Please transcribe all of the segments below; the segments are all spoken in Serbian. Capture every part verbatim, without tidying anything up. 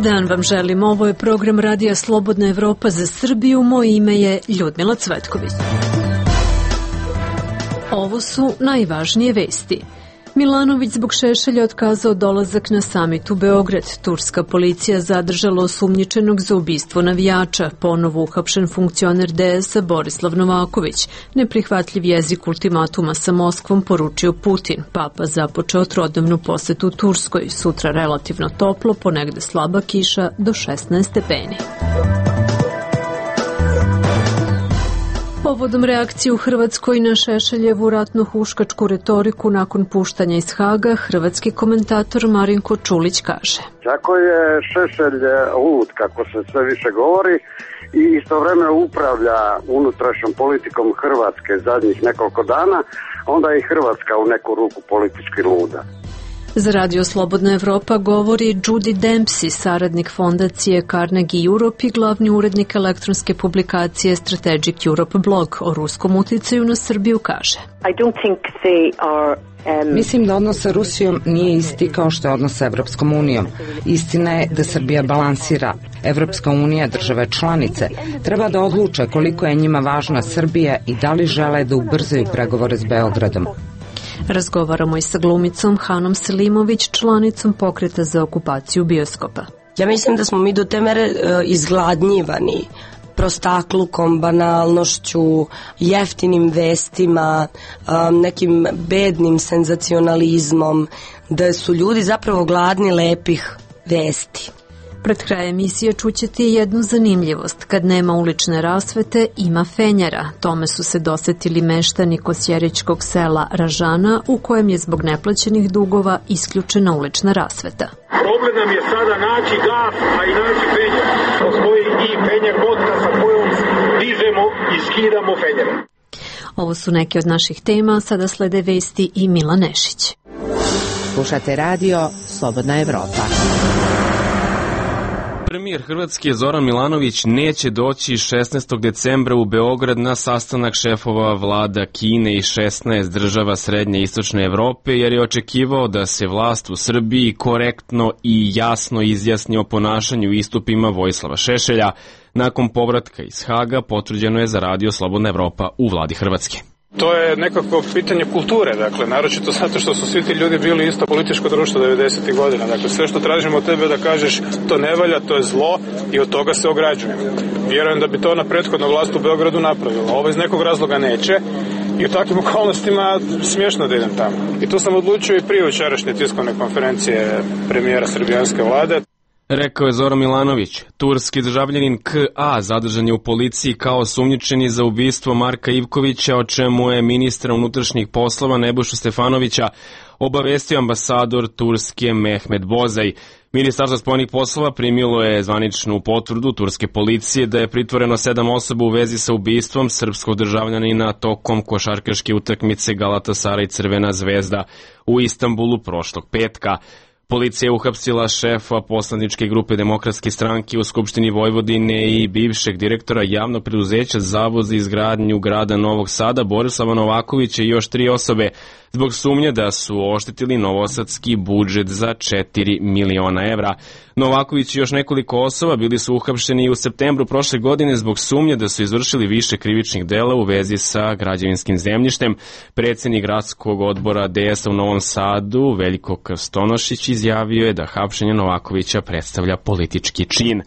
dan vam želim. Ovo je program Radija Slobodna Evropa za Srbiju. Moje ime je Ljudmila Cvetković. Ovo su najvažnije vesti. Milanović zbog Šešelja otkazao dolazak na samit u Beograd. Turska policija zadržala osumnjičenog za ubistvo navijača. Ponovo uhapšen funkcioner D S-a Borislav Novaković. Neprihvatljiv jezik ultimatuma sa Moskvom poručio Putin. Papa započeo trodnevnu posetu Turskoj. Sutra relativno toplo, ponegde slaba kiša do šesnaest stepeni. Povodom reakcije u Hrvatskoj na Šešeljevu ratno-huškačku retoriku nakon puštanja iz Haga, hrvatski komentator Marinko Čulić kaže: Ako je Šešelj lud, kako se sve više govori, i istovremeno upravlja unutrašnjom politikom Hrvatske zadnjih nekoliko dana, onda je i Hrvatska u neku ruku politički luda. Za Radio Slobodna Evropa govori Judy Dempsey, saradnik fondacije Carnegie Europe i glavni urednik elektronske publikacije Strategic Europe blog. O ruskom uticaju na Srbiju kaže: I don't think they are Um, Mislim da odnos sa Rusijom nije isti kao što je odnos sa Evropskom unijom. Istina je da Srbija balansira. Evropska unija, države članice, treba da odluče koliko je njima važna Srbija i da li žele da ubrzaju pregovore s Beogradom. Razgovaramo i sa glumicom Hanom Selimović, članicom Pokreta za okupaciju bioskopa. Ja mislim da smo mi do te mere uh, izgladnjivani prostaklukom, banalnošću, jeftinim vestima, um, nekim bednim senzacionalizmom, da su ljudi zapravo gladni lepih vesti. Pred kraj emisije čućete jednu zanimljivost. Kad nema ulične rasvete, ima fenjera. Tome su se dosetili meštani kosjerićkog sela Ražana, u kojem je zbog neplaćenih dugova isključena ulična rasveta. Problem nam je sada naći gas, a i naći fenjer. Postoji i fenjer botka sa kojom dižemo i skidamo fenjere. Ovo su neke od naših tema, sada slede vesti i Mila Nešić. Slušate radio Slobodna Evropa. Premijer Hrvatske Zoran Milanović neće doći šesnaestog decembra u Beograd na sastanak šefova vlada Kine i šesnaest država srednje i istočne Evrope, jer je očekivao da se vlast u Srbiji korektno i jasno izjasni o ponašanju i istupima Vojislava Šešelja. Nakon povratka iz Haga potvrđeno je za Radio Slobodna Evropa u vladi Hrvatske. To je nekako pitanje kulture, dakle, naročito zato što su svi ti ljudi bili isto političko društvo devedesetih godina. Dakle, sve što tražimo od tebe da kažeš to ne valja, to je zlo i od toga se ograđujemo. Vjerujem da bi to na prethodna vlast u Beogradu napravila. Ovo iz nekog razloga neće i u takvim okolnostima smiješno da idem tamo. I tu sam odlučio i prije jučerašnje tiskovne konferencije premijera srbijanske vlade. Rekao je Zoran Milanović. Turski državljanin K A zadržan je u policiji kao osumnjičeni za ubistvo Marka Ivkovića, o čemu je ministra unutrašnjih poslova Nebojšu Stefanovića obavestio ambasador Turske Mehmet Bozaj. Ministarstvo spoljnih poslova primilo je zvaničnu potvrdu turske policije da je pritvoreno sedam osoba u vezi sa ubistvom srpskog državljanina tokom košarkaške utakmice Galatasaray Crvena zvezda u Istanbulu prošlog petka. Policija je uhapsila šefa poslaničke grupe Demokratske stranke u Skupštini Vojvodine i bivšeg direktora javnog preduzeća Zavod za izgradnju grada Novog Sada Borislava Novakovića i još tri osobe zbog sumnje da su oštetili novosadski budžet za četiri miliona evra. Novaković i još nekoliko osoba bili su uhapšeni u septembru prošle godine zbog sumnje da su izvršili više krivičnih dela u vezi sa građevinskim zemljištem. Predsjednik gradskog odbora D S-a u Novom Sadu, Veljko Krstonošić, izjavio je da hapšenje Novakovića predstavlja politički čin.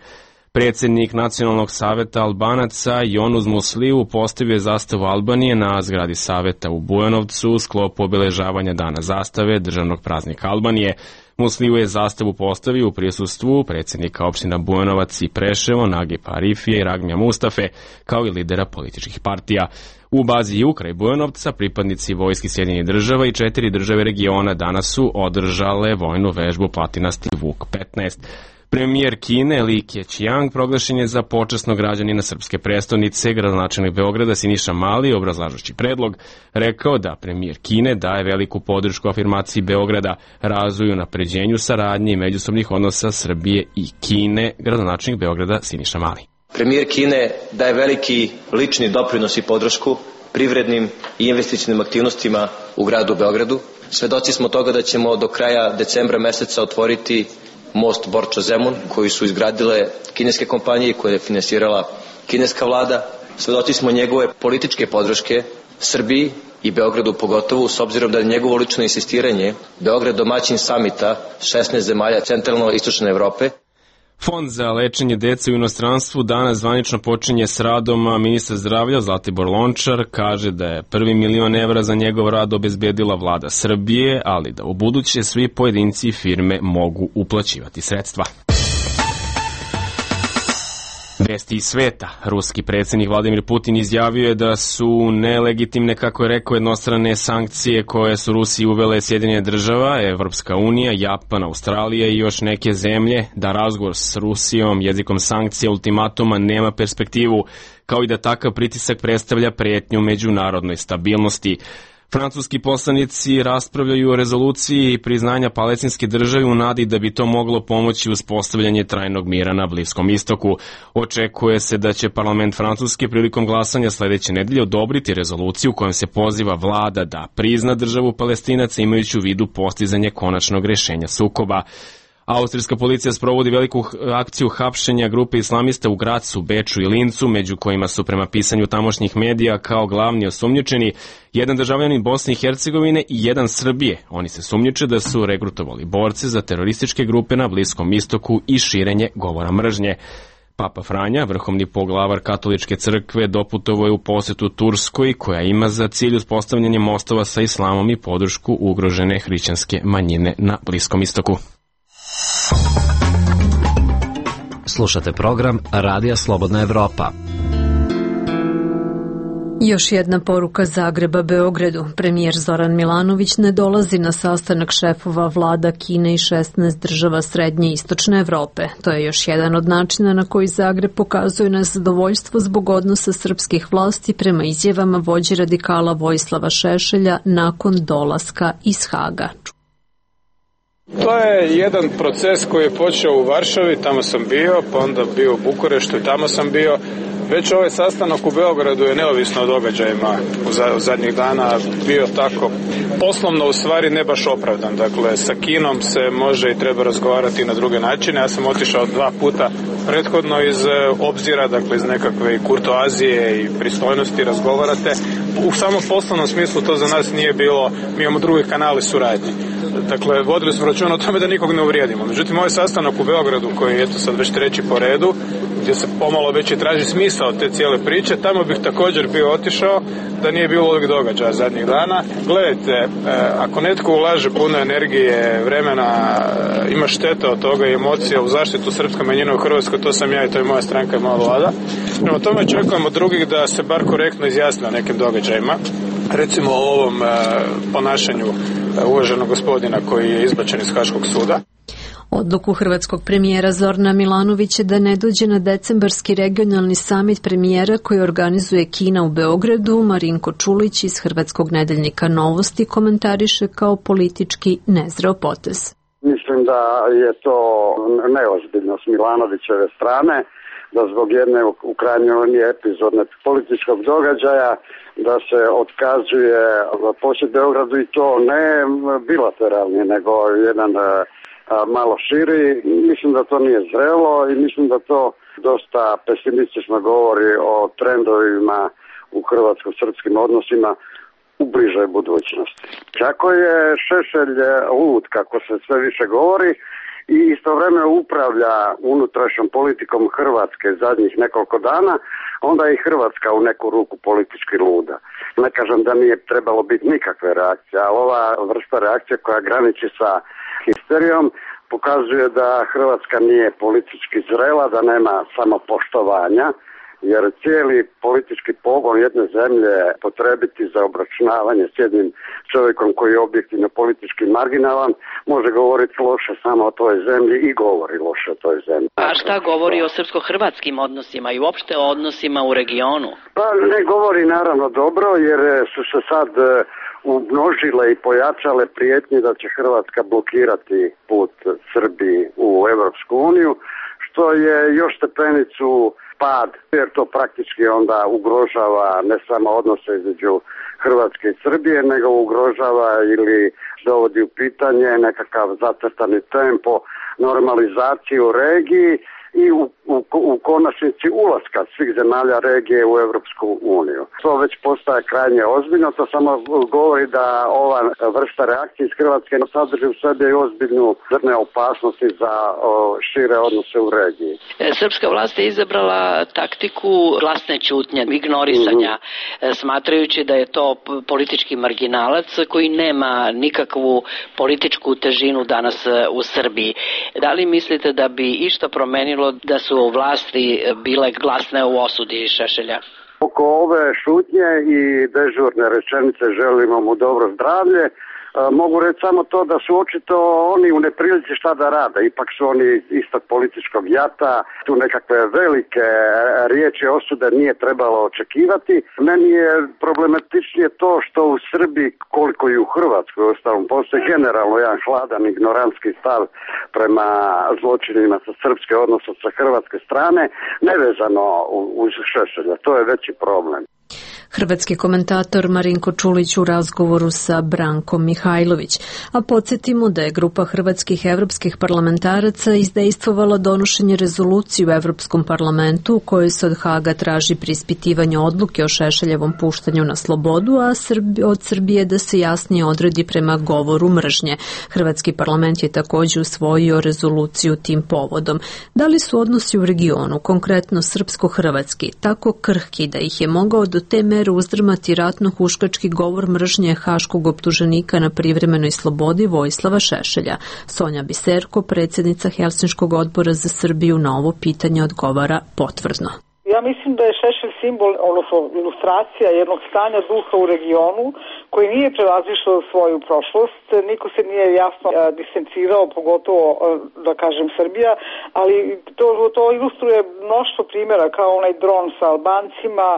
Predsjednik Nacionalnog saveta Albanaca Jonuz Musliju postavio je zastavu Albanije na zgradi saveta u Bujanovcu u sklopu obeležavanja Dana zastave državnog praznika Albanije. Musliju je zastavu postavio u prisustvu predsjednika opština Bujanovac i Preševo, Nagipa Arifije i Ragmija Mustafe, kao i lidera političkih partija. U bazi Ju kraj Bujanovca pripadnici vojski Sjedinjenih država i četiri države regiona danas su održale vojnu vežbu Platinasti Vuk petnaest. Premijer Kine Li Keqiang proglašen je za počasnog građanina srpske prestonice. Gradonačelnik Beograda Siniša Mali, obrazlažući predlog, rekao da premijer Kine daje veliku podršku afirmaciji Beograda, razvoju, napređenju saradnje i međusobnih odnosa Srbije i Kine. Gradonačelnik Beograda Siniša Mali. Premijer Kine daje veliki lični doprinos i podršku privrednim i investicionim aktivnostima u gradu Beogradu. Svedoci smo toga da ćemo do kraja decembra meseca otvoriti most Borča-Zemun koji su izgradile kineske kompanije koje je finansirala kineska vlada. Svedoci smo njegove političke podrške Srbiji i Beogradu pogotovo, s obzirom da je njegovo lično insistiranje Beograd domaćin samita šesnaest zemalja centralno-istočne Evrope. Fond za lečenje dece u inostranstvu danas zvanično počinje s radom, a ministar zdravlja Zlatibor Lončar kaže da je prvi milion evra za njegov rad obezbedila vlada Srbije, ali da u buduće svi pojedinci i firme mogu uplaćivati sredstva. Vesti iz sveta. Ruski predsjednik Vladimir Putin izjavio je da su nelegitimne, kako je rekao, jednostrane sankcije koje su Rusiji uvele Sjedinjene država, Evropska unija, Japan, Australija i još neke zemlje, da razgovor s Rusijom jezikom sankcija ultimatuma nema perspektivu, kao i da takav pritisak predstavlja pretnju međunarodnoj stabilnosti. Francuski poslanici raspravljaju o rezoluciji priznanja palestinske države u nadi da bi to moglo pomoći uspostavljanje trajnog mira na Bliskom istoku. Očekuje se da će parlament Francuske prilikom glasanja sledeće nedelje odobriti rezoluciju kojom se poziva vlada da prizna državu Palestinaca imajući u vidu postizanje konačnog rešenja sukoba. Austrijska policija sprovodi veliku akciju hapšenja grupe islamista u Gracu, Beču i Lincu, među kojima su prema pisanju tamošnjih medija kao glavni osumnjičeni jedan državljanin Bosne i Hercegovine i jedan Srbije. Oni se sumnjiče da su regrutovali borce za terorističke grupe na Bliskom istoku i širenje govora mržnje. Papa Franja, vrhovni poglavar katoličke crkve, doputovao je u posetu Turskoj, koja ima za cilj uspostavljanje mostova sa islamom i podršku ugrožene hrišćanske manjine na Bliskom istoku. Slušate program Radija Slobodna Evropa. Još jedna poruka Zagreba Beogradu. Premijer Zoran Milanović ne dolazi na sastanak šefova vlada Kine i šesnaest država srednje i istočne Evrope. To je još jedan od načina na koji Zagreb pokazuje nezadovoljstvo zbog odnosa srpskih vlasti prema izjavama vođe radikala Vojislava Šešelja nakon dolaska iz Haga. To je jedan proces koji je počeo u Varšavi, tamo sam bio, pa onda bio u Bukureštu i tamo sam bio. Već ovaj sastanak u Beogradu je neovisno o događajima u zadnjih dana bio tako poslovno u stvari ne baš opravdan. Dakle, sa Kinom se može i treba razgovarati na druge načine. Ja sam otišao dva puta prethodno iz obzira, dakle iz nekakve i kurtoazije i pristojnosti razgovarate. U samom poslovnom smislu to za nas nije bilo, mi imamo drugi kanali suradnje. Dakle, vodili smo računa o tome da nikog ne uvrijedimo. Međutim, ovaj sastanak u Beogradu, koji je eto sad već treći po redu, gdje se pomalo već i traži smisao te cijele priče, tamo bih također bio otišao da nije bilo ovih događaja zadnjih dana. Gledajte, e, ako netko ulaže puno energije, vremena, e, ima šteta od toga i emocija u zaštitu srpske manjine u Hrvatskoj, to sam ja i to je moja stranka i moja vlada. Prema tome očekujemo drugih da se bar korektno izjasne o nekim događajima. Recimo o ovom e, ponašanju e, uvaženog gospodina koji je izbačen iz Haškog suda. Odluku hrvatskog premijera Zorana Milanovića da ne dođe na decembarski regionalni samit premijera koji organizuje Kina u Beogradu, Marinko Čulić iz hrvatskog nedeljnika Novosti komentariše kao politički nezreo potez. Mislim da je to neozbiljno s Milanovićeve strane, da zbog jedne u krajnjoj liniji epizodne političkog događaja da se otkazuje posjet Beogradu i to ne bilateralni, nego jedan malo širi. Mislim da to nije zrelo i mislim da to dosta pesimistično govori o trendovima u hrvatsko-srpskim odnosima u bližoj budućnosti. Kako je Šešelj lud, kako se sve više govori, i istovremeno upravlja unutrašnjom politikom Hrvatske zadnjih nekoliko dana, onda je i Hrvatska u neku ruku politički luda. Ne kažem da nije trebalo biti nikakve reakcije, ali ova vrsta reakcije koja graniči sa histerijom pokazuje da Hrvatska nije politički zrela, da nema samopoštovanja, jer cijeli politički pogon jedne zemlje potrebiti za obračunavanje s jednim čovjekom koji je objektivno politički marginalan, može govoriti loše samo o toj zemlji i govori loše o toj zemlji. A šta govori o srpsko-hrvatskim odnosima i uopšte o odnosima u regionu? Pa ne govori naravno dobro, jer su se sad umnožile i pojačale prijetnje da će Hrvatska blokirati put Srbiji u Evropsku uniju, što je još stepenicu pad, jer to praktički onda ugrožava ne samo odnose između Hrvatske i Srbije, nego ugrožava ili dovodi u pitanje nekakav zacrtani tempo normalizacije u regiji i u, u, u konačnici ulaska svih zemalja regije u Evropsku uniju. To već postaje krajnje ozbiljno, to samo govori da ova vrsta reakcije iz Hrvatske sadrži u sebi i ozbiljnu zrne opasnosti za o, šire odnose u regiji. Srpska vlast je izabrala taktiku glasne ćutnje, ignorisanja, mm-hmm. smatrajući da je to politički marginalac koji nema nikakvu političku težinu danas u Srbiji. Da li mislite da bi išta promenilo da su vlasti bile glasne u osudi Šešelja? Oko ove šutnje i dežurne rečenice želimo mu dobro zdravlje. Mogu reći samo to da su očito oni u neprilici šta da rade. Ipak su oni istog političkog jata. Tu nekakve velike riječi osude nije trebalo očekivati. Meni je problematičnije to što u Srbiji, koliko i u Hrvatskoj ostalom, postoji generalno jedan hladan ignorantski stav prema zločinima sa srpske, odnosno sa hrvatske strane, nevezano uz Šešelja. To je veći problem. Hrvatski komentator Marinko Čulić u razgovoru sa Brankom Mihajlović. A podsjetimo da je grupa hrvatskih evropskih parlamentaraca izdejstvovala donošenje rezolucije u Evropskom parlamentu u kojoj se od Haga traži preispitivanje odluke o Šešeljevom puštanju na slobodu, a od Srbije da se jasnije odredi prema govoru mržnje. Hrvatski parlament je također usvojio rezoluciju tim povodom. Da li su odnosi u regionu, konkretno srpsko-hrvatski, tako krhki da ih je mogao do te mere uzdrmati ratno-huškački govor mržnje haškog optuženika na privremenoj slobodi Vojislava Šešelja? Sonja Biserko, predsjednica Helsinškog odbora za Srbiju, na ovo pitanje odgovara potvrdno. Ja mislim da je Šešelj simbol, odnosno ilustracija jednog stanja duha u regionu koji nije prevazišao svoju prošlost. Niko se nije jasno distancirao, pogotovo, da kažem, Srbija, ali to, to ilustruje mnoštvo primjera, kao onaj dron sa Albancima,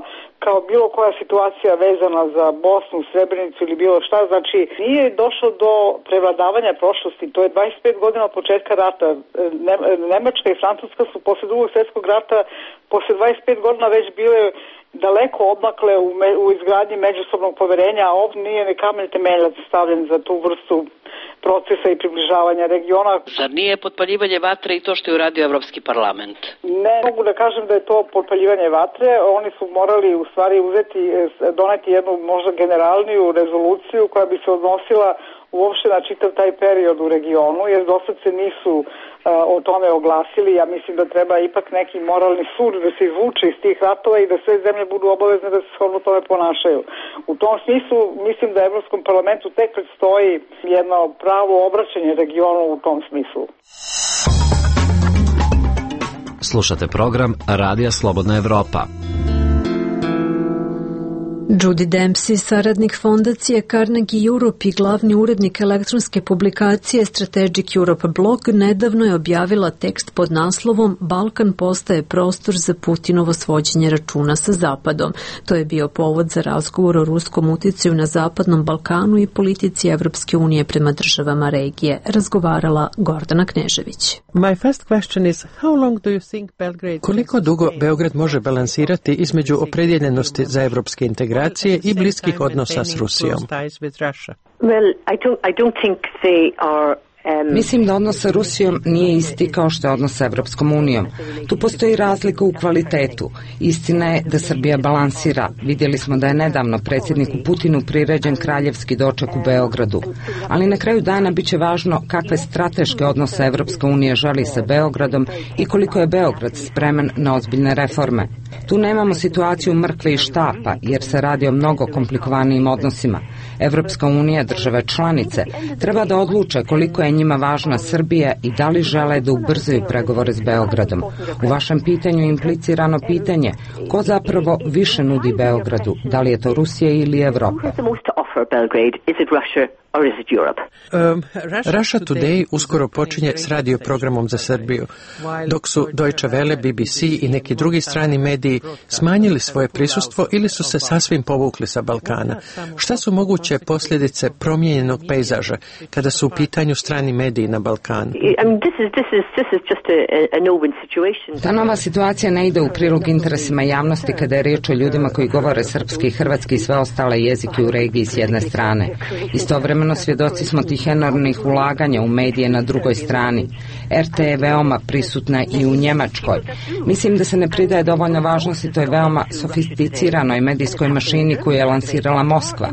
kao bilo koja situacija vezana za Bosnu, Srebrenicu ili bilo šta. Znači, nije došlo do prevladavanja prošlosti. To je dvadeset pet godina od početka rata. Nemačka i Francuska su posle drugog svjetskog rata, posle dvadeset pet godina već bile daleko odmakle u, me, u izgradnji međusobnog poverenja, a ovdje nije ni kamen temeljac stavljen za tu vrstu procesa i približavanja regiona. Zar nije potpaljivanje vatre i to što je uradio Evropski parlament? Ne mogu da kažem da je to potpaljivanje vatre. Oni su morali u stvari uzeti, doneti jednu možda generalniju rezoluciju koja bi se odnosila uopšte na čitav taj period u regionu, jer dosad se nisu uh, o tome oglasili. Ja mislim da treba ipak neki moralni sud da se izvuče iz tih ratova i da sve zemlje budu obavezne da se shodno tome ponašaju. U tom smislu mislim da Evropskom parlamentu tek predstoji jedno pravo obraćanje regionu u tom smislu. Slušate program Radija Slobodna Evropa. Judy Dempsey, saradnik fondacije Carnegie Europe i glavni urednik elektronske publikacije Strategic Europe Blog, nedavno je objavila tekst pod naslovom Balkan postaje prostor za Putinovo svođenje računa sa Zapadom. To je bio povod za razgovor o ruskom uticaju na Zapadnom Balkanu i politici Evropske unije prema državama regije. Razgovarala Gordana Knežević. Koliko dugo Beograd može balansirati između opredjeljenosti za evropske integracije i bliskih odnosa s Rusijom? Mislim da odnos sa Rusijom nije isti kao što je odnos sa Evropskom unijom. Tu postoji razlika u kvalitetu. Istina je da Srbija balansira. Vidjeli smo da je nedavno predsjedniku Putinu priređen kraljevski doček u Beogradu. Ali na kraju dana biće važno kakve strateške odnose Evropska unija želi sa Beogradom i koliko je Beograd spreman na ozbiljne reforme. Tu nemamo situaciju mrkve i štapa, jer se radi o mnogo komplikovanijim odnosima. Evropska unija, države članice, treba da odluče koliko je njima važna Srbija i da li žele da ubrzaju pregovore s Beogradom. U vašem pitanju implicirano pitanje, ko zapravo više nudi Beogradu, da li je to Rusija ili Evropa? for Belgrade? Is it Russia or is it Europe? Um, Russia Today uskoro počinje s radioprogramom za Srbiju, dok su Deutsche Welle, B B C i neki drugi strani mediji smanjili svoje prisustvo ili su se sasvim povukli sa Balkana. Šta su moguće posljedice promijenjenog pejzaža kada su u pitanju strani mediji na Balkanu? Ta nova situacija ne ide u prilog interesima javnosti kada je riječ o ljudima koji govore srpski, hrvatski i sve ostale jezike u regiji s jedne strane. Istovremeno svjedoci smo tih enormnih ulaganja u medije na drugoj strani. R T je veoma prisutna i u Njemačkoj. Mislim da se ne pridaje dovoljno važnosti toj veoma sofisticiranoj medijskoj mašini koju je lansirala Moskva.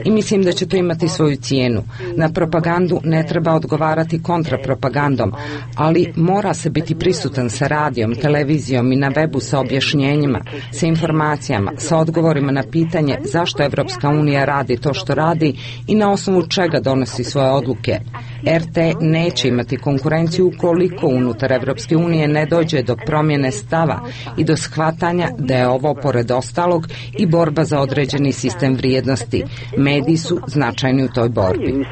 I mislim da će to imati svoju cijenu. Na propagandu ne treba odgovarati kontrapropagandom, ali mora se biti prisutan sa radijom, televizijom i na webu sa objašnjenjima, sa informacijama, sa odgovorima na pitanje zašto Evropska unija radi to što radi i na osnovu čega donosi svoje odluke. R T neće imati konkurenciju ukoliko unutar Evropske unije ne dođe do promjene stava i do shvatanja da je ovo, pored ostalog, i borba za određeni sistem vrijednosti. Mediji su značajni u toj borbi.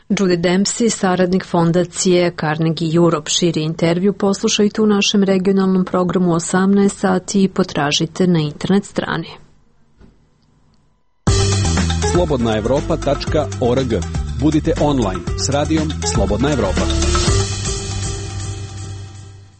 Judy Dempsey, saradnik fondacije Carnegie Europe, širi intervju poslušajte u našem regionalnom programu osamnaest sati i potražite na internet strani. slobodna evropa tačka org. Budite online s radijom Slobodna Evropa.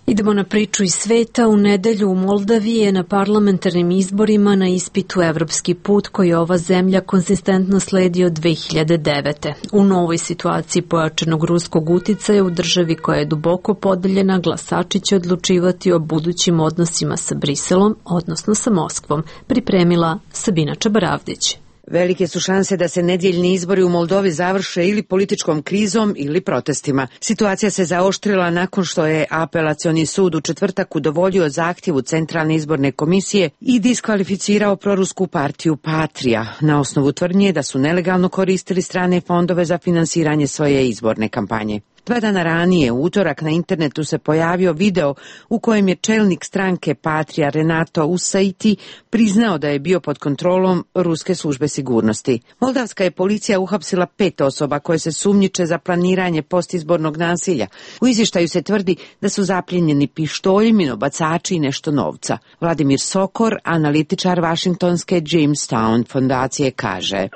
Idemo na priču iz sveta. U nedelju u Moldaviji je na parlamentarnim izborima na ispitu evropski put koji ova zemlja konzistentno sledi od dve hiljade devete. U novoj situaciji pojačanog ruskog uticaja u državi koja je duboko podeljena, glasači će odlučivati o budućim odnosima sa Briselom, odnosno sa Moskvom, pripremila Sabina Čabaravdić. Velike su šanse da se nedjeljni izbori u Moldovi završe ili političkom krizom ili protestima. Situacija se zaoštrila nakon što je apelacioni sud u četvrtak udovoljio zahtjevu Centralne izborne komisije i diskvalificirao prorusku partiju Patrija na osnovu tvrdnje da su nelegalno koristili strane fondove za finansiranje svoje izborne kampanje. Dva dana ranije, u utorak, na internetu se pojavio video u kojem je čelnik stranke Patrija Renato Usaiti priznao da je bio pod kontrolom ruske službe sigurnosti. Moldavska je policija uhapsila pet osoba koje se sumnjiče za planiranje postizbornog nasilja. U izvještaju se tvrdi da su zapljenjeni pištolji, minobacači i nešto novca. Vladimir Sokor, analitičar Vašingtonske Jamestown fondacije, kaže: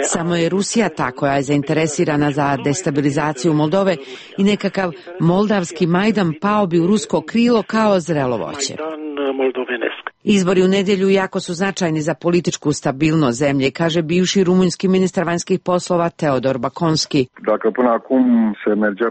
Samo je Rusija ta koja je zainteresirana za destabilizaciju Moldove i nekakav moldavski Majdan pao bi u rusko krilo kao zrelo voće. Izbori u nedjelju jako su značajni za političku stabilnost zemlje, kaže bivši rumunjski ministar vanjskih poslova Teodor Bakonski.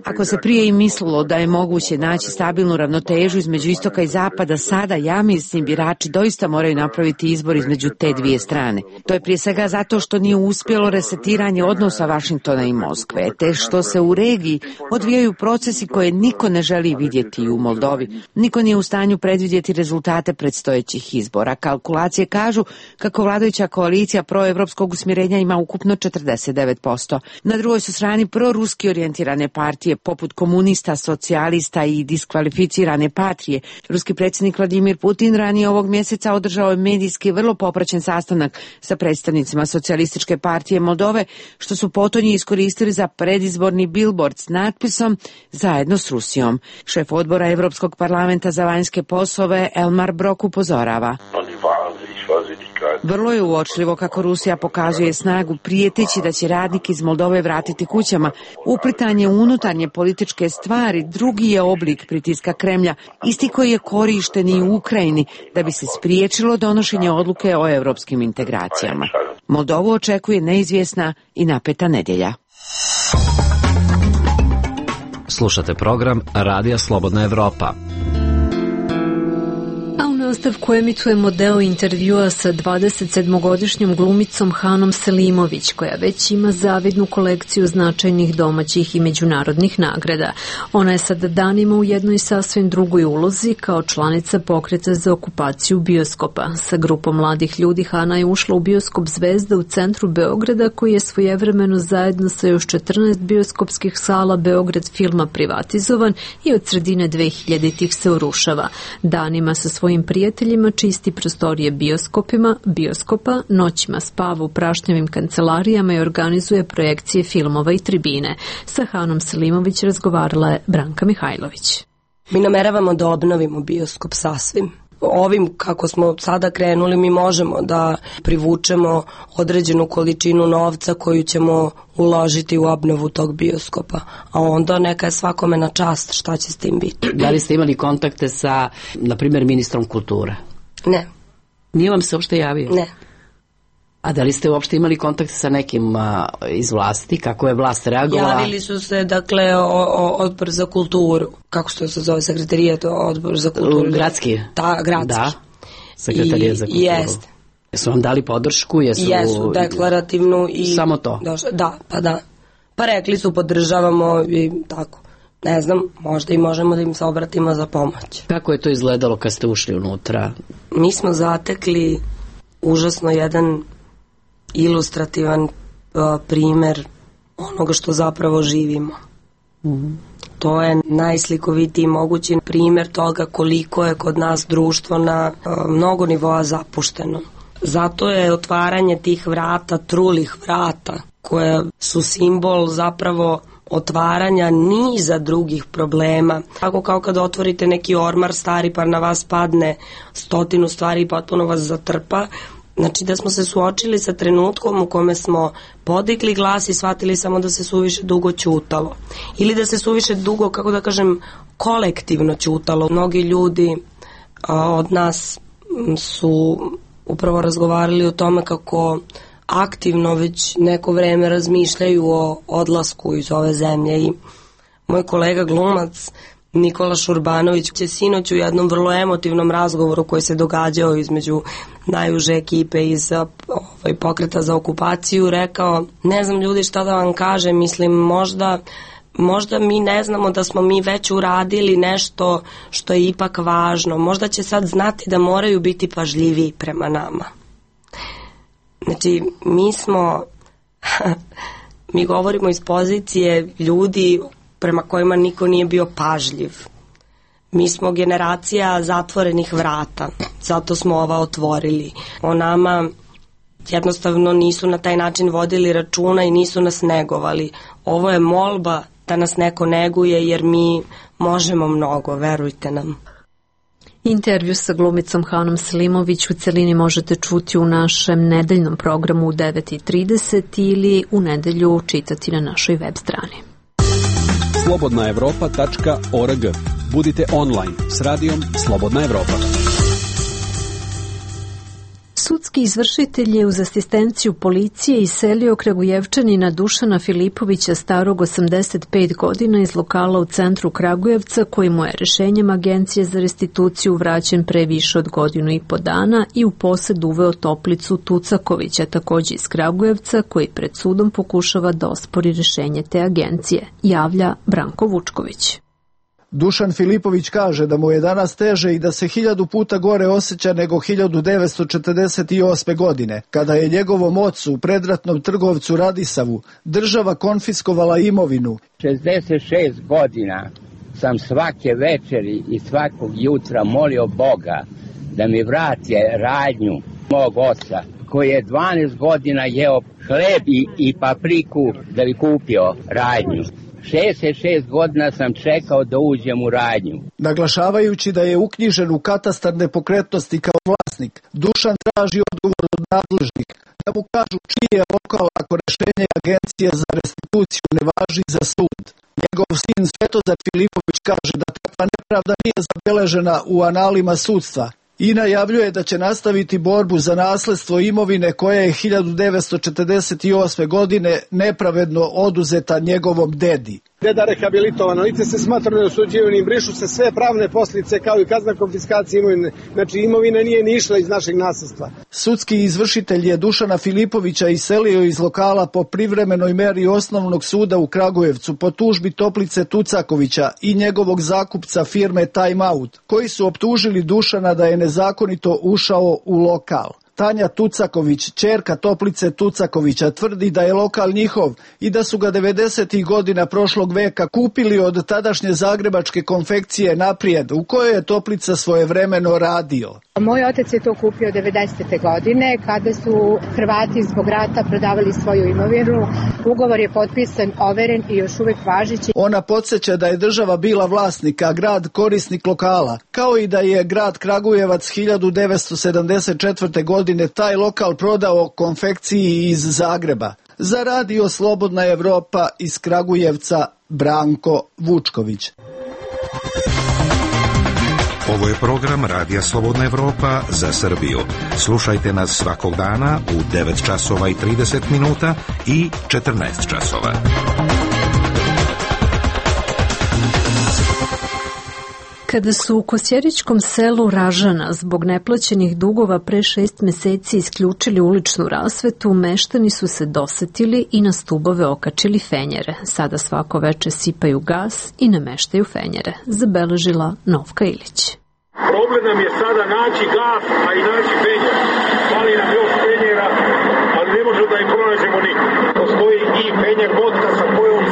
Ako se prije i mislilo da je moguće naći stabilnu ravnotežu između istoka i zapada, sada ja mislim birači doista moraju napraviti izbor između te dvije strane. To je prije svega zato što nije uspjelo resetiranje odnosa Vašingtona i Moskve, te što se u regiji odvijaju procesi koje niko ne želi vidjeti u Moldovi. Niko nije u stanju predvidjeti rezultate predstojećih izbora. Kalkulacije kažu kako vladajuća koalicija proevropskog usmjerenja ima ukupno četrdeset devet posto. Na drugoj su strani proruski orijentirane partije poput komunista, socijalista i diskvalificirane Patrije. Ruski predsjednik Vladimir Putin ranije ovog mjeseca održao je medijski vrlo popraćen sastanak sa predstavnicima Socijalističke partije Moldove, što su potonji iskoristili za predizborni billboard s natpisom "Zajedno s Rusijom". Šef odbora Europskog parlamenta za vanjske poslove Elmar Brok upozorava: vrlo je uočljivo kako Rusija pokazuje snagu prijeteći da će radnike iz Moldove vratiti kućama. Uplitanje u unutarnje političke stvari drugi je oblik pritiska Kremlja, isti koji je korišten i u Ukrajini da bi se spriječilo donošenje odluke o europskim integracijama. Moldovu očekuje neizvjesna i napeta nedjelja. Slušate program Radija Slobodna Evropa. A u nastavku emitujemo deo intervjua sa dvadesetsedmogodišnjom glumicom Hanom Selimović, koja već ima zavidnu kolekciju značajnih domaćih i međunarodnih nagrada. Ona je sad danima u jednoj sasvim drugoj ulozi kao članica pokreta za okupaciju bioskopa. Sa grupom mladih ljudi Hana je ušla u bioskop Zvezda u centru Beograda, koji je svojevremeno zajedno sa još četrnaest bioskopskih sala Beograd filma privatizovan i od sredine dve hiljaditih se urušava. Danima sa svojim prijateljima čisti prostorije bioskopima, bioskopa, noćima spava u prašnjavim kancelarijama i organizuje projekcije filmova i tribine. Sa Hanom Selimović razgovarala je Branka Mihajlović. Mi nameravamo da obnovimo bioskop sasvim. Ovim kako smo sada krenuli mi možemo da privučemo određenu količinu novca koju ćemo uložiti u obnovu tog bioskopa, a onda neka je svakome na čast šta će s tim biti. Da li ste imali kontakte sa, na primjer, ministrom kulture? Ne. Nije vam se uopšte javio? Ne. A da li ste uopšte imali kontakt sa nekim a, iz vlasti? Kako je vlast reagovala? Javili su se, dakle, o, o, odbor za kulturu. Kako što se zove sekretarijat, odbor za kulturu? Gradski? Da, gradski. Da, sekretarijat za kulturu. Jeste. Jesu vam dali podršku? Jesu, jesu deklarativnu i... Samo to? Došle, da, pa da. Pa rekli su podržavamo i tako. Ne znam, možda i možemo da im se obratimo za pomoć. Kako je to izgledalo kad ste ušli unutra? Mi smo zatekli užasno jedan ilustrativan uh, primer onoga što zapravo živimo. Mm-hmm. To je najslikovitiji mogući primer toga koliko je kod nas društvo na uh, mnogo nivoa zapušteno. Zato je otvaranje tih vrata, trulih vrata, koje su simbol zapravo otvaranja niza drugih problema. Tako kao kad otvorite neki ormar stari pa na vas padne stotinu stvari i potpuno vas zatrpa. Znači da smo se suočili sa trenutkom u kome smo podigli glas i shvatili samo da se suviše dugo ćutalo. Ili da se suviše dugo, kako da kažem, kolektivno ćutalo. Mnogi ljudi a, od nas su upravo razgovarali o tome kako aktivno već neko vreme razmišljaju o odlasku iz ove zemlje i moj kolega glumac Nikola Šurbanović će sinoć u jednom vrlo emotivnom razgovoru koji se događao između najuže ekipe iz ovaj, pokreta za okupaciju rekao, ne znam ljudi šta da vam kažem, mislim možda možda mi ne znamo da smo mi već uradili nešto što je ipak važno, možda će sad znati da moraju biti pažljiviji prema nama. Znači mi smo mi govorimo iz pozicije ljudi prema kojima niko nije bio pažljiv. Mi smo generacija zatvorenih vrata, zato smo ova otvorili. O nama jednostavno nisu na taj način vodili računa i nisu nas negovali. Ovo je molba da nas neko neguje jer mi možemo mnogo, verujte nam. Intervju sa glumicom Hanom Selimović u celini možete čuti u našem nedeljnom programu u devet i trideset ili u nedelju čitati na našoj web strani. slobodna evropa tačka org. Budite online s radijom Slobodna Evropa. Sudski izvršitelj je uz asistenciju policije iselio Kragujevčanina Dušana Filipovića starog osamdeset pet godina iz lokala u centru Kragujevca koji mu je rešenjem Agencije za restituciju vraćen pre više od godinu i po dana i u posed uveo Toplicu Tucakovića, takođe iz Kragujevca, koji pred sudom pokušava da ospori rešenje te agencije, javlja Branko Vučković. Dušan Filipović kaže da mu je danas teže i da se hiljadu puta gore osjeća nego hiljadu devetsto četrdeset osme. godine, kada je njegovom ocu u predratnom trgovcu Radisavu država konfiskovala imovinu. šezdeset šest godina sam svake večeri i svakog jutra molio Boga da mi vrati radnju mog oca, koji je dvanaest godina jeo hleb i, i papriku da bi kupio radnju. šezdeset šest godina sam čekao da uđem u radnju. Naglašavajući da je uknjižen u katastar nepokretnosti kao vlasnik, Dušan traži odgovor od nadležnih da mu kažu čiji je lokal ako rešenje Agencije za restituciju ne važi za sud. Njegov sin Svetozar Filipović kaže da takva nepravda nije zabeležena u analima sudstva i najavljuje da će nastaviti borbu za nasledstvo imovine koja je hiljadu devetsto četrdeset osme. godine nepravedno oduzeta njegovom dedi. Deda rehabilitovano, lice se smatra neosuđivanim, brišu se sve pravne posljedice kao i kazna konfiskacije imovine. Znači imovina nije ni išla iz našeg nasledstva. Sudski izvršitelj je Dušana Filipovića iselio iz lokala po privremenoj meri osnovnog suda u Kragujevcu po tužbi Toplice Tucakovića i njegovog zakupca firme Time Out, koji su optužili Dušana da je nezakonito ušao u lokal. Tanja Tucaković, ćerka Toplice Tucakovića, tvrdi da je lokal njihov i da su ga devedesetih godina prošlog veka kupili od tadašnje zagrebačke konfekcije Naprijed, u kojoj je Toplica svojevremeno radio. Moj otac je to kupio devedesete godine kada su Hrvati zbog rata prodavali svoju imovinu. Ugovor je potpisan, overen i još uvek važeći. Ona podsjeća da je država bila vlasnik, a grad korisnik lokala, kao i da je grad Kragujevac hiljadu devetsto sedamdeset četvrte. godine taj lokal prodao konfekciji iz Zagreba. Za radio Slobodna Evropa iz Kragujevca Branko Vučković. Ovo je program Radija Slobodna Evropa za Srbiju. Slušajte nas svakog dana u devet časova i trideset minuta i četrnaest časova. Kada su u Kosjerićkom selu Ražana zbog neplaćenih dugova pre šest meseci isključili uličnu rasvetu, meštani su se dosetili i na stubove okačili fenjere. Sada svako veče sipaju gas i nameštaju fenjere, zabeležila Novka Ilić. Problem nam je sada naći gas, a i naći fenjer. Fali nam još fenjera, ali ne možemo da ih pronađemo nikad. Postoji i fenjer vodka sa kojom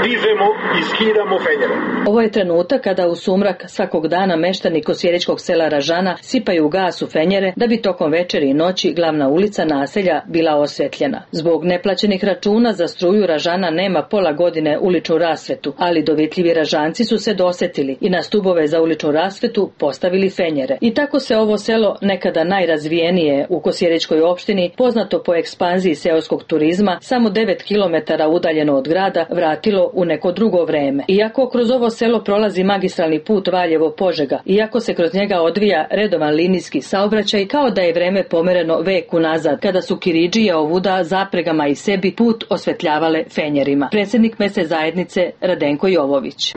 dižemo i skidamo fenjere. Ovo je trenutak kada u sumrak svakog dana meštani Kosjerićkog sela Ražana sipaju gas u fenjere da bi tokom večeri i noći glavna ulica naselja bila osvetljena. Zbog neplaćenih računa za struju Ražana nema pola godine uličnu rasvetu, ali dovitljivi Ražanci su se dosetili i na stubove za uličnu rasvetu postavili fenjere. I tako se ovo selo, nekada najrazvijenije u Kosjerićkoj opštini, poznato po ekspanziji seoskog turizma, samo devet kilometara udaljeno od grada, vratilo u neko drugo vreme. Iako kroz ovo selo prolazi magistralni put Valjevo-Požega, iako se kroz njega odvija redovan linijski saobraćaj, kao da je vreme pomereno vek unazad, kada su kiridžije ovuda zapregama i sebi put osvetljavale fenjerima. Predsjednik mesne zajednice Radenko Jovović.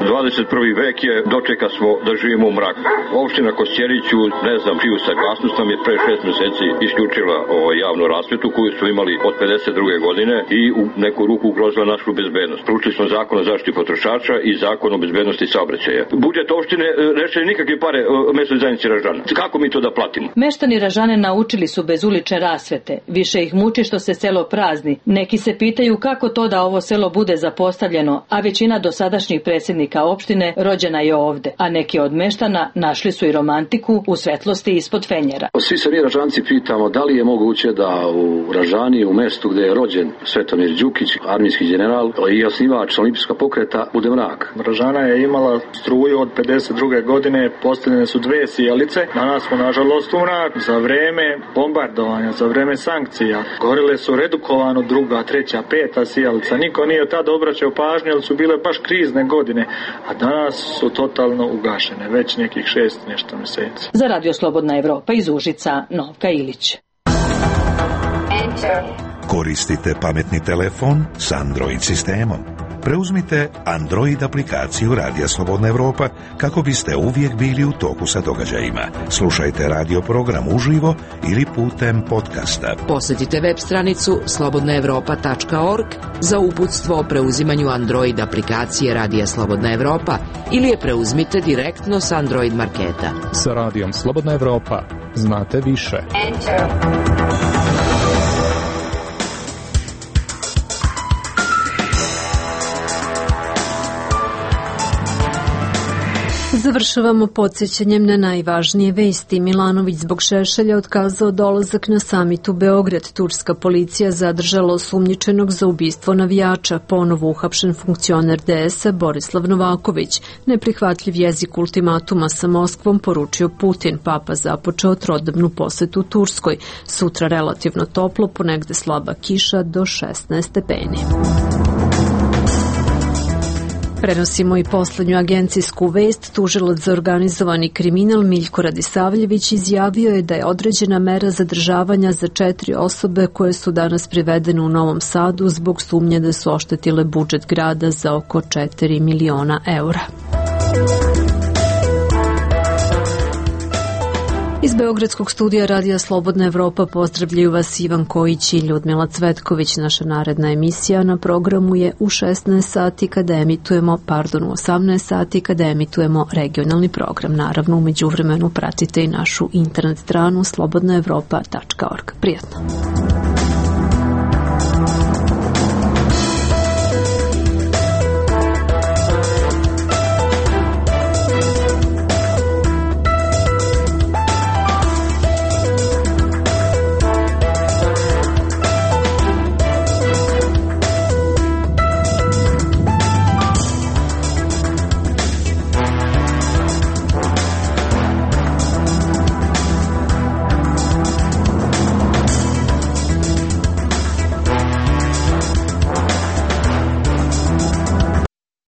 dvadeset prvi vek je, dočeka smo da živimo u mraku. Opština Kosjeriću, ne znam čiju saglasnost, nam je pre šest meseci isključila ovo javnu rasvetu koju su imali od pedeset druge godine i u neku ruku ugrozila našu bezbednost. Proučili smo zakon o zaštiti potrošača i zakon o bezbednosti saobraćaja. Budžet opštine neće nikakve pare mesnoj zajednici Ražana. Kako mi to da platimo? Meštani Ražane naučili su bez ulične rasvete. Više ih muči što se selo prazni. Neki se pitaju kako to da ovo selo bude zapostavljeno, a većina dosadašnjih predsjednika opštine rođena je ovde, a neki od meštana našli su i romantiku u svetlosti ispod fenjera. Svi se mi Ražanci pitamo da li je moguće da u Ražani, u mestu gde je rođen Svetomir Đukić, armijski general i osnivač olimpijskog pokreta, bude mrak. Ražana je imala struju od pedeset druge godine, postavljene su dve sijalice, danas smo nažalost u mrak. Za vreme bombardovanja, za vreme sankcija, gorile su redukovano druga, treća, peta sijalica. Niko nije tada obraćao pažnju, jer su bile baš krizne godine. A danas su totalno ugašene, već nekih šest nešto mjeseci. Za Radio Slobodna Evropa iz Užica, Novka Ilić. Koristite pametni telefon s Android sistemom. Preuzmite Android aplikaciju Radija Slobodna Evropa kako biste uvijek bili u toku sa događajima. Slušajte radio program uživo ili putem podcasta. Posjetite web stranicu slobodna evropa tačka org za uputstvo o preuzimanju Android aplikacije Radija Slobodna Evropa ili je preuzmite direktno s Android marketa. Sa Radijom Slobodna Evropa znate više. Enter. Završavamo podsjećanjem na najvažnije vesti. Milanović zbog Šešelja otkazao dolazak na samit u Beograd. Turska policija zadržala osumnjičenog za ubistvo navijača. Ponovo uhapšen funkcioner de es a Borislav Novaković. Neprihvatljiv jezik ultimatuma sa Moskvom poručio Putin. Papa započeo trodnevnu posetu Turskoj. Sutra relativno toplo, ponegde slaba kiša do šesnaest stepeni. Prenosimo i poslednju agencijsku vest. Tužilac za organizovani kriminal Miljko Radisavljević izjavio je da je određena mera zadržavanja za četiri osobe koje su danas privedene u Novom Sadu zbog sumnje da su oštetile budžet grada za oko četiri miliona eura. Iz Beogradskog studija Radija Slobodna Evropa pozdravljaju vas Ivan Kojić i Ljudmila Cvetković. Naša naredna emisija na programu je u šesnaest sati kada emitujemo, pardon, u osamnaest sati kada emitujemo regionalni program. Naravno, u međuvremenu pratite i našu internet stranu slobodna evropa tačka org. Prijatno!